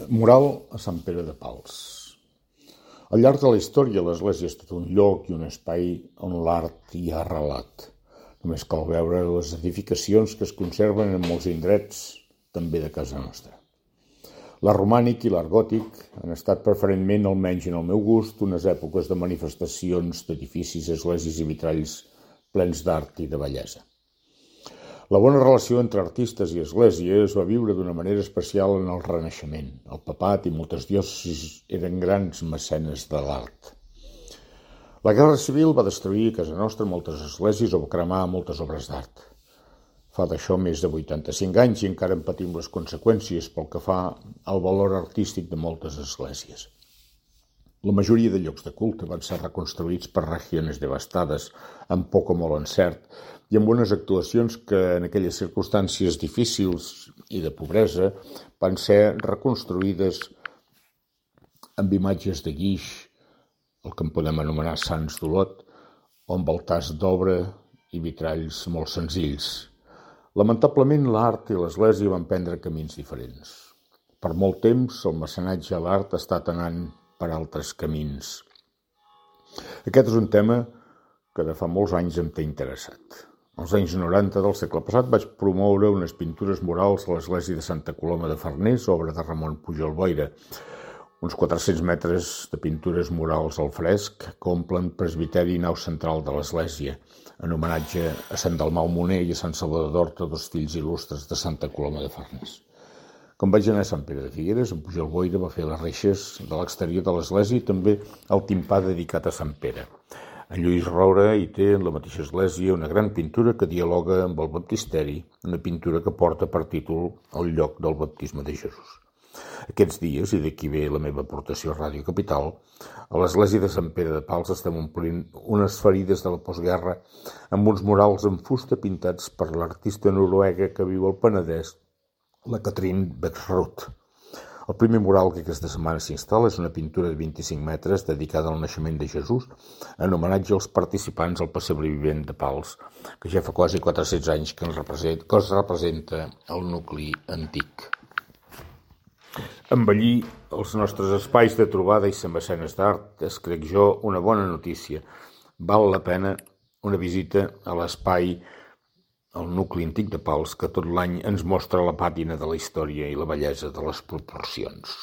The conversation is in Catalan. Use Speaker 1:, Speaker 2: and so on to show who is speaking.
Speaker 1: Mural a Sant Pere de Pals. Al llarg de la història, l'església ha estat un lloc i un espai on l'art hi ha arrelat. Només cal veure les edificacions que es conserven en molts indrets, també de casa nostra. L'art romànic i l'art gòtic han estat preferentment, almenys en el meu gust, unes èpoques de manifestacions d'edificis, esglésies i vitralls plens d'art i de bellesa. La bona relació entre artistes i església es va viure d'una manera especial en el Renaixement. El papat i moltes diòcesis eren grans mecenes de l'art. La Guerra Civil va destruir a casa nostra moltes esglésies o va cremar moltes obres d'art. Fa d'això més de 85 anys i encara en patim les conseqüències pel que fa al valor artístic de moltes esglésies. La majoria de llocs de culte van ser reconstruïts per regions devastades, amb poc o molt encert, i amb unes actuacions que en aquelles circumstàncies difícils i de pobresa van ser reconstruïdes amb imatges de guix, el que en podem anomenar sants d'Olot, o amb altars d'obra i vitralls molt senzills. Lamentablement, l'art i l'església van prendre camins diferents. Per molt temps, el mecenatge a l'art ha estat anant per altres camins. Aquest és un tema que de fa molts anys em té interessat. Als anys 90 del segle passat vaig promoure unes pintures murals a l'església de Santa Coloma de Farners, obra de Ramon Pujol Boira. Uns 400 metres de pintures murals al fresc que omplen presbiteri i nau central de l'església, en homenatge a Sant Dalmau Moner i a Sant Salvador d'Horta, dos fills il·lustres de Santa Coloma de Farners. Quan vaig anar a Sant Pere de Figueres, en Pujol Boira va fer les reixes de l'exterior de l'església i també el timpà dedicat a Sant Pere. En Lluís Roura hi té en la mateixa església una gran pintura que dialoga amb el baptisteri, una pintura que porta per títol El lloc del baptisme de Jesús. Aquests dies, i d'aquí ve la meva aportació a Ràdio Capital, a l'església de Sant Pere de Pals estem omplint unes ferides de la postguerra amb uns murals en fusta pintats per l'artista noruega que viu al Penedès, la Katrin Beckroth. El primer mural que aquesta setmana s'instal·la és una pintura de 25 metres dedicada al naixement de Jesús en homenatge als participants al pessebre vivent de Pals, que ja fa quasi 400 anys que es representa el nucli antic. Embellir els nostres espais de trobada i ser mecenes d'art és, crec jo, una bona notícia. Val la pena una visita a l'espai el nucli antic de Pals, que tot l'any ens mostra la pàtina de la història i la bellesa de les proporcions.